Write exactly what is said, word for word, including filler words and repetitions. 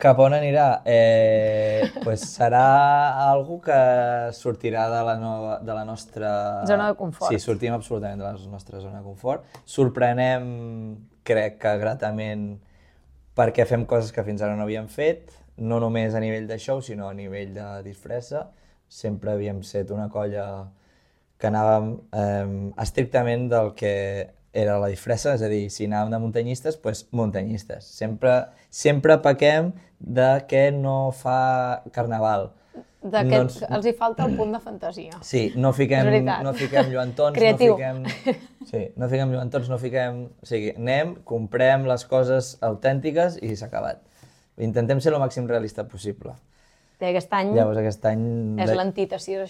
Cap on anirà? Eh, pues serà algú que sortirà de la, nova, de la nostra... Zona de confort. Sí, sortim absolutament de la nostra zona de confort. Sorprenem, crec que gratament, perquè fem coses que fins ara no havíem fet, no només a nivell de show, sinó a nivell de disfressa. Sempre havíem set una colla que anàvem eh, estrictament del que era la disfressa, és a dir, si anàvem de muntanyistes, doncs muntanyistes. Sempre, sempre pequem de què no fa carnaval. De que no ens... els hi falta el punt de fantasia. Sí, no fiquem, no fiquem lluentons, creatiu. No fiquem, sí, no fiquem lluentons, no fiquem... O sigui, anem, comprem les coses autèntiques i s'ha acabat. Intentem ser el màxim realista possible. Aquest any Llavors, aquest any... és l'antítesis